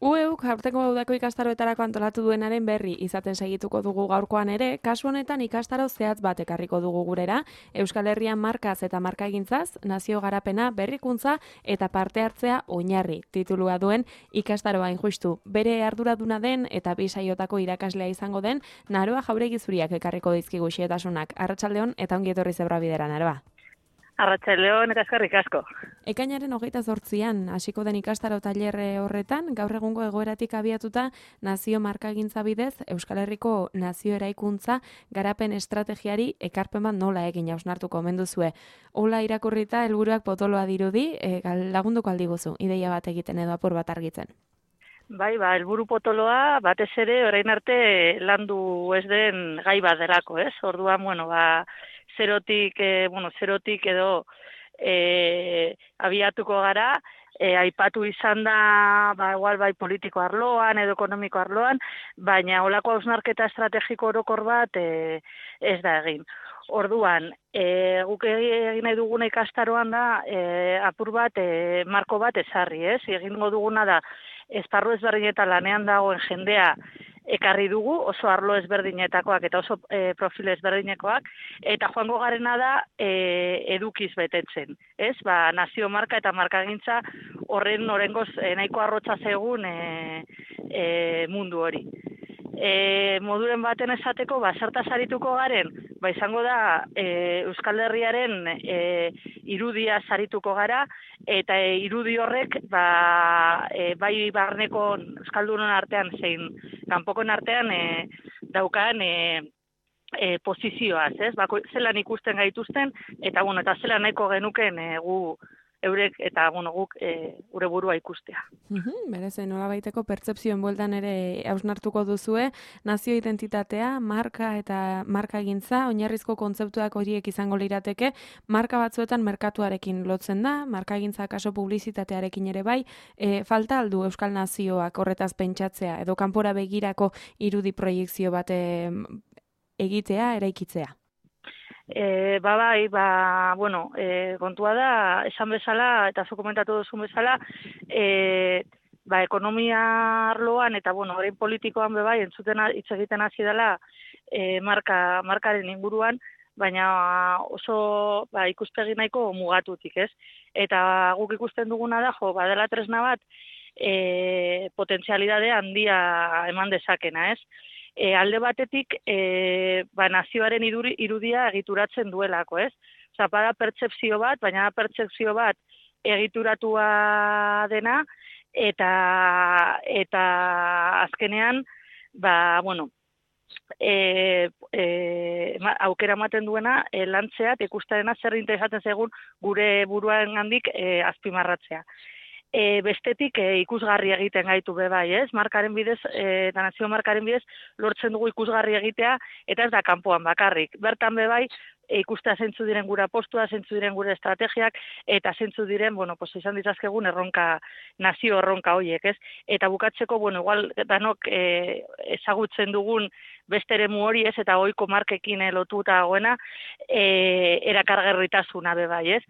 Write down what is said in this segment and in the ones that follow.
UEUk aurtengo udako ikastaroetarako antolatu duenaren berri izaten segituko dugu gaurkoan ere, kasu honetan ikastaro zehatz bat ekarriko dugu gurera, Euskal Herrian markaz eta markagintzaz, nazio garapena, berrikuntza eta parte hartzea oinarri titulua duen ikastaroa justu. Bere arduraduna den eta bi saiotako irakaslea izango den, Naroa Jauregi Zuriak ekarriko dizkigu xietasunak. Arratsaldeon eta ongi etorri Zebrabidera, Naroa. Arratsaldeon eta eskerrik asko. Ekainaren 28an hasiko den ikastaro tailerre horretan, gaur egungo egoeratik abiatuta nazio markagintza bidez Euskal Herriko nazio eraikuntza garapen estrategiari ekarpen bat nola egin hausnartuko omen duzue. Hola irakurrita helburuak potoloa dirudi, lagunduko aldiguzu, ideia bat egiten edo apur bat argitzen. Bai, helburu potoloa batez ere orain arte landu ez den gai bat delako, ez? Orduan, zerotik edo abiatuko gara, aipatu izan da, igual bai politiko arloan edo ekonomiko arloan, baina holako hausnarketa estrategiko orokor bat ez da egin. Orduan, guk egin nahi duguna ikastaroan da, apur bat, marko bat ezarri, ez? Egingo duguna da, esparru ezberdinetan lanean dagoen jendea ekarri dugu, oso arlo ezberdinetakoak eta oso profil ezberdinekoak, eta joango garena da edukiz betetzen, ez? Nazio marka eta markagintza horren norengoz nahiko arrotza zegun mundu hori. Moduren baten esateko, zertaz arituko garen, izango da Euskal Herriaren irudia sarituko gara, eta irudi horrek bai barneko Euskaldunon artean zein kanpokon artean daukan posizioaz, ez? Zelan ikusten gaituzten, eta zelan nahiko genuken gu eurek eta guk gure burua ikustea. Berez, nolabaiteko pertzepzioen bueltan ere hausnartuko duzue, nazio identitatea, marka eta markagintza, oinarrizko kontzeptuak horiek izango lirateke, marka batzuetan merkatuarekin lotzen da, markagintza kaso publizitatearekin ere bai, falta aldu Euskal Nazioak horretaz pentsatzea, edo kanpora begirako irudi proiekzio bat egitea, eraikitzea? Kontua da, esan bezala, eta zu komentatu duzun bezala, ekonomia arloan eta, orain politikoan bebai, entzuten hitz egiten hasi dela markaren inguruan, baina oso ikuspegi nahiko mugatutik, ez? Eta guk ikusten duguna da, badela tresna bat, potentzialidade handia eman dezakena, ez? Alde batetik, nazioaren irudia egituratzen duelako, ez? Bada pertsepzio bat, baina pertsepzio bat egituratua dena, eta azkenean, aukera ematen duena, lantzea, ikustearena zer interesatzen zegun gure buruan handik azpimarratzea. Bestetik ikusgarri egiten gaitu bai, ez? Markaren bidez, eta nazio markaren bidez, lortzen dugu ikusgarri egitea, eta ez da kanpoan bakarrik. Bertan bai, ikustea zeintzu diren gure apostua, zeintzu diren gure estrategiak, eta zeintzu diren, izan ditzazkegun nazio erronka horiek, ez? Eta bukatzeko, igual danok ezagutzen dugun beste eremu hori, ez? Eta ohiko markekin lotuta dagoena, erakargarritasuna bai, ez?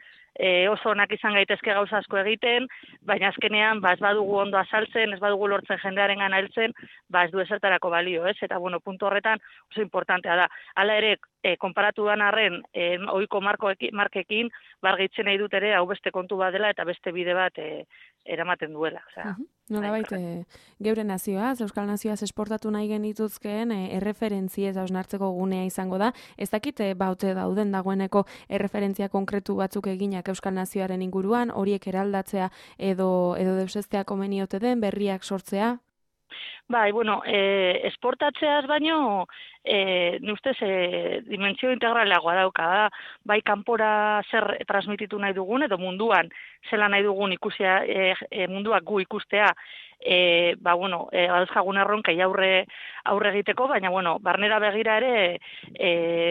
Oso onak izan gaitezke gauza asko egiten, baina azkenean ez badugu ondo azaltzen, ez badugu lortzen jendearen gana heltzen, ez du ezertarako balio, ez? Eta puntu horretan oso importantea da. Hala ere, konparatu dan arren, ohiko markekin, bargitzen nahi dut ere, hau beste kontu bat dela eta beste bide bat eramaten duela. Nolabait, geure nazioaz, Euskal Nazioaz esportatu nahi genituzkeen erreferentziez hausnartzeko gunea izango da. Ez dakit baute dauden dagoeneko erreferentzia konkretu batzuk eginak Euskal Nazioaren inguruan, horiek eraldatzea edo deusestea komeniote den, berriak sortzea? Esportatzeaz baino, ustez, dimentsio integralagoa dauka da, bai kanpora zer transmititu nahi dugun, edo munduan zela nahi dugun ikusia, munduak gu ikustea, dauzkagun erronkai aurre egiteko, baina, barnera begira ere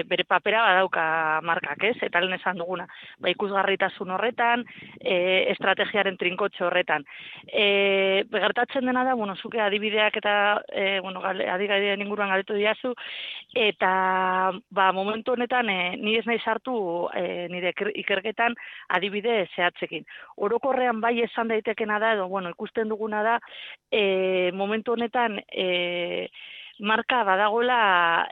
bere papera badauka markak, ez? Eta lehen esan duguna, ikusgarritasun horretan, estrategiaren trinkotxe horretan. Gertatzen dena da, zuke adibideak eta adigadien inguruan galetu diazu, eta momentu honetan ni ez nahi sartu nire ikerketan adibide zehatzekin. Orokorrean bai esan daitekena da, edo ikusten duguna da, momentu honetan marka badagoela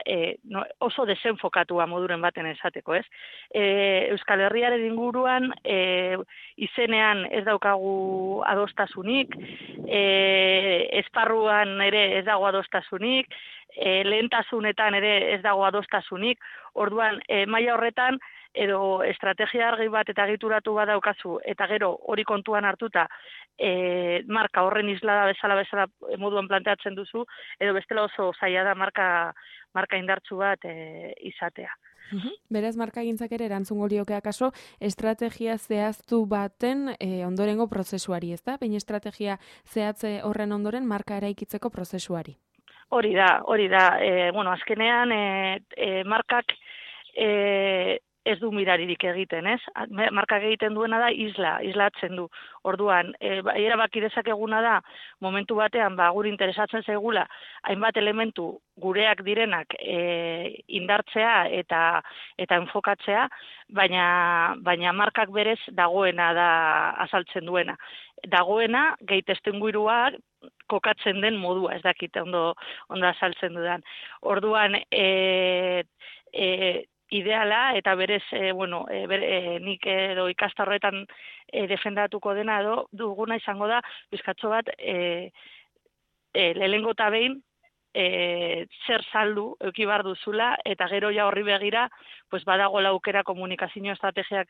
oso desenfokatua moduren baten esateko, ez? Euskal Herriaren inguruan izenean ez daukagu adostasunik, esparruan ere ez dago adostasunik, lehentasunetan ere ez dago adostasunik, orduan maila horretan edo estrategia argi bat eta egituratu bat daukazu, eta gero hori kontuan hartuta marka horren islada bezala moduan planteatzen duzu, edo bestela oso zaila da marka indartsu bat izatea. Beraz, markagintzak ere erantzungo lioke akaso estrategia zehaztu baten ondorengo prozesuari, ez da? Baina estrategia zehatze horren ondoren marka eraikitzeko prozesuari. Hori da. Azkenean markak ez du miraririk egiten, ez? Markak egiten duena da islatzen du. Orduan, erabaki dezakeguna da, momentu batean, guri interesatzen zaigula, hainbat elementu gureak direnak indartzea eta enfokatzea, baina markak berez dagoena da azaltzen duena. Dagoena, gehi testuinguruak kokatzen den modua, ez dakit ondo azaltzen dudan. Orduan, ideala, eta berez, nik edo ikastarroetan defendatuko dena edo duguna izango da, bizkatxo bat, lehenengo eta behin, zer saldu eduki behar duzula, eta gero ja horri begira, badagoela aukera komunikazio estrategiak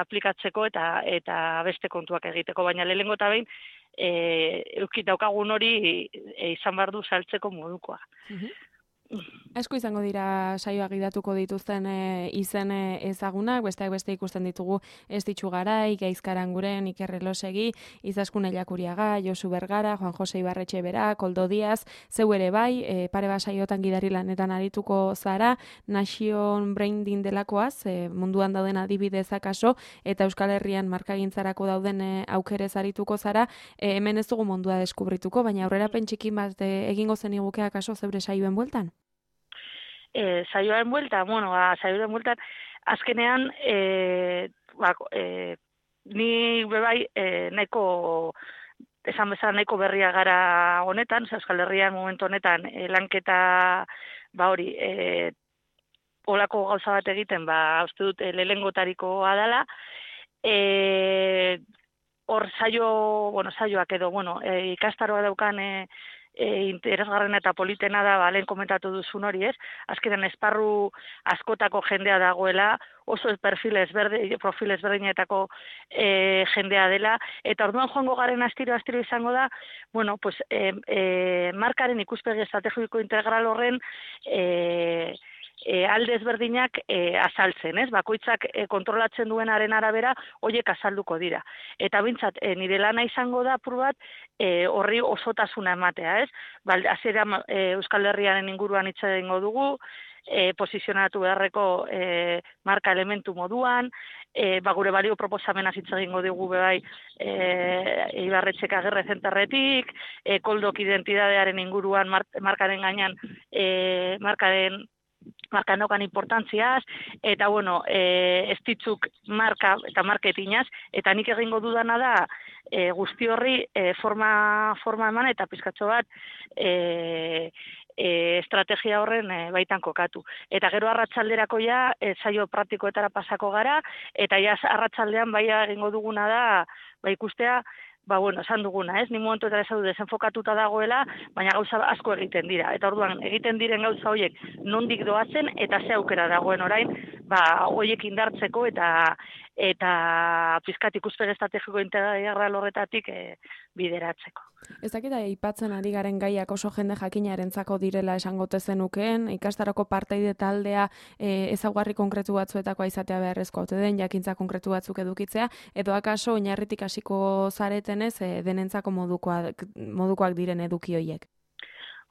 aplikatzeko eta beste kontuak egiteko, baina lehenengo eta behin, eduki daukagun hori izan behar du saltzeko modukoa. Asko izango dira saioak gidatuko dituzten izen ezagunak, besteak beste ikusten ditugu Estitxu Garai, Gaizkaranguren, Iker Elosegi, Izaskun Ellakuriaga, Josu Bergara, Juan Jose Ibarretxe Bera, Koldo Diaz, zeu ere bai, pare bat saiotan gidari lanetan arituko zara, Nation Branding delakoaz, munduan dauden adibidez akaso, eta Euskal Herrian markagintzarako dauden aukerez arituko zara, hemen ez dugu mundua deskubrituko, baina aurrerapen txikin bat egingo zeniguke akaso zeure saioen bueltan? Saioaren bueltan, azkenean, ni bebai nahiko, esan bezala nahiko berria gara honetan, Euskal Herrian momentu honetan, lanketa, olako gauza bat egiten, uste dut, lehengotarikoa dela, hor saioak edo, ikastaroa daukan, interesgarrena eta politena da, lehen komentatu duzun hori, ez? Azkenean esparru askotako jendea dagoela, oso profil ezberdinetako jendea dela, eta orduan joango garen astiro izango da, markaren ikuspegi estrategiko integral horren alde ezberdinak azaltzen, ez? Bakoitzak kontrolatzen duenaren arabera horiek azalduko dira. Eta bintzat, nire lana izango da apur bat horri osotasuna ematea, ez? Hasiera Euskal Herriaren inguruan hitz egingo dugu, posizionatu beharreko marka elementu moduan, gure balio proposamena hitz egingo dugu bebai Ibarretxek Agirre zentarretik, Koldok identidadearen inguruan markaren gainean marka nokan importantziaz, eta Estitxuk marka eta marketinaz, eta nik egingo dudana da guzti horri forma eman eta pizkatxo bat estrategia horren baitan kokatu. Eta gero arratsalderako saio praktikoetara pasako gara, eta arratsaldean egingo duguna da ikustea, esan duguna, ez? Ni momentu eta esan du desenfokatuta dagoela, baina gauza asko egiten dira. Eta orduan, egiten diren gauza horiek nondik doazen, eta ze aukera dagoen orain, horiek indartzeko eta pizkat ikuspegi estrategiko integral horretatik bideratzeko. Ez dakit aipatzen ari garen gaiak oso jende jakinarentzako direla esangote zenukeen, ikastaroko partaide taldea ezaugarri konkretu batzuetakoa izatea beharrezko ote den, jakintza konkretu batzuk edukitzea, edo akaso oinarritik hasiko zaretenez denentzako modukoak diren eduki horiek?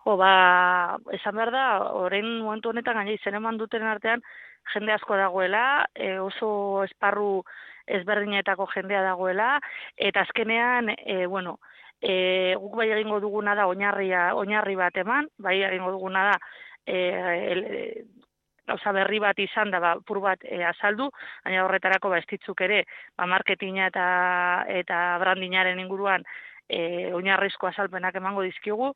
Esan behar da, orain momentu honetan gaina izen eman duten artean, jende asko dagoela, oso esparru ezberdinetako jendea dagoela, eta azkenean, guk bai egingo duguna da oinarri bat eman, bai egingo duguna da gauza berri bat izan da, pur bat azaldu, baina horretarako ez ditzuk ere, marketinga eta brandingaren inguruan oinarrizko azalpenak emango dizkigu,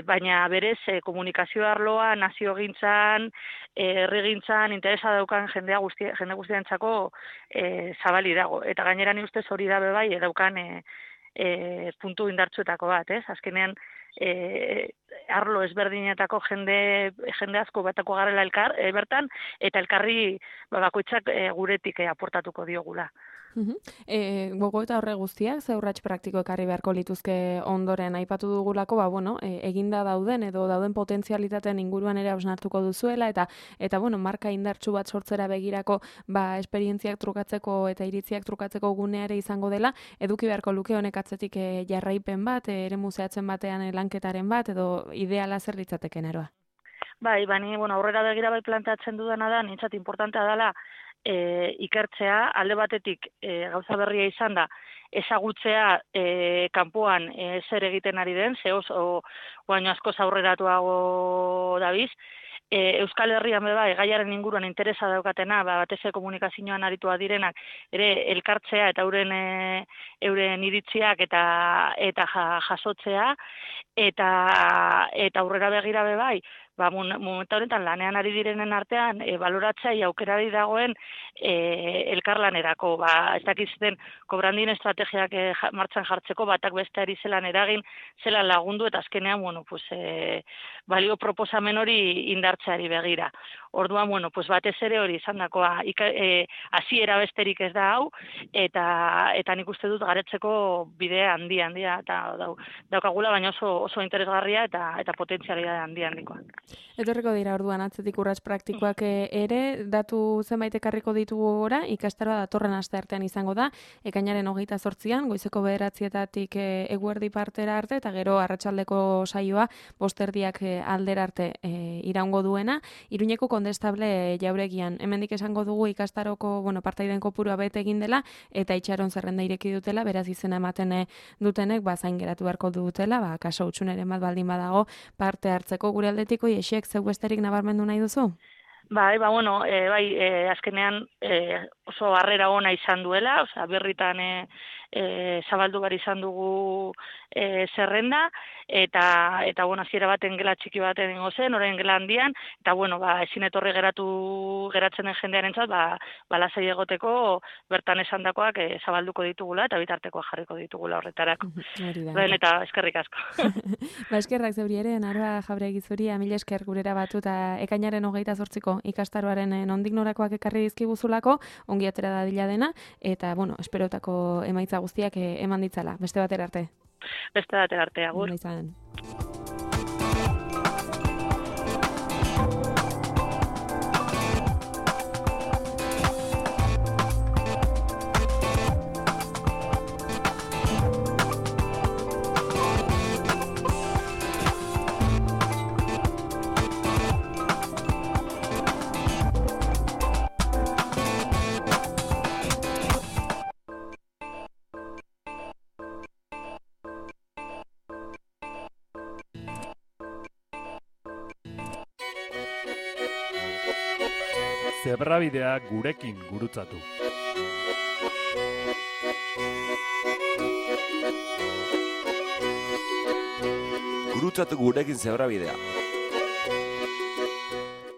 baina berez komunikazio arloa, naziogintzan, herrigintzan, interesa daukan jende guztientzako zabali dago. Eta gainera ni ustez hori da bai daukan puntu indartsuetako bat, ez? Azkenean arlo ezberdinetako jende asko batako garela bertan, eta elkarri bakoitzak guretik aportatuko diogula. Gogo eta horre guztiak, ze urrats praktiko ekarri beharko lituzke ondoren aipatu dugulako, eginda dauden edo dauden potentzialitateen inguruan ere hausnartuko duzuela, eta marka indartsu bat sortzera begirako esperientziak trukatzeko eta iritziak trukatzeko gunea ere izango dela, eduki beharko luke honek atzetik jarraipen bat, eremu zehatzen batean lanketaren bat, edo ideala zer litzateke Aroa? Bai, bani, aurrera begira bai planteatzen dudana da, nintzat importantea dela, ikertzea, alde batetik gauza berria izan da, ezagutzea kanpoan zer egiten ari den, ze oso baino askoz aurreratuago dabiz, Euskal Herrian gaiaren inguruan interesa daukatena, batez komunikazioan aritua direnak, ere elkartzea eta euren iritziak eta jasotzea, eta aurrera begira bai, momentu honetan lanean ari direnen artean, baloratzea aukerari dagoen elkarlanerako, ez dakizten kobrandin estrategiak martxan jartzeko, batak besteari zelan eragin, zelan lagundu, eta azkenean, balio proposamen hori indartzeari begira. Orduan, batez ere hori izan dakoa, hasiera besterik ez da hau, eta nik uste dut garetzeko bidea handia, eta daukagula, baina oso interesgarria eta potentzialidade handikoa. Etorriko dira orduan atzetik urrats praktikoak ere, datu zenbait ekarriko ditugu ora, ikastaroa datorren asteartean izango da, ekainaren 28an, goizeko 9:00 eguerdi partera arte, eta gero arratsaldeko saioa 5:00 aldera arte iraungo duena, Iruñeko Kondestable Jauregian. Hemendik esango dugu ikastaroko, partaiden kopurua bete egin dela, eta itxaron zerrenda ireki dutela, beraz izena ematen dutenek, zain geratu beharko dutela, kaso hutsuneren bat baldin badago parte hartzeko. Gure aldetiko Iexek zeu besterik nabarmendu nahi duzu? Bai, azkenean oso harrera ona izan duela, birritan zabaldu behar izan dugu zerrenda, eta hasiera baten gela txiki baten ingo zen, orain gela handian, eta ezin etorri geratzen den jendearentzat, lasai egoteko bertan esandakoak zabalduko ditugula, eta bitartekoa jarriko ditugula horretarako. Eta eskerrik asko. Eskerrak zeuri ere, Aroa Jauregui zuri, mila esker gurera batu, eta ekainaren 28ko ikastaroaren nondik norakoak ekarri dizkiguzulako, ongi atera dadila dena, eta, esperotako emaitza guztiak eman ditzala. Beste batera arte. Beste batera arte, agur. Zebrabidea gurekin gurutzatu. Gurutzatu gurekin zebrabidea.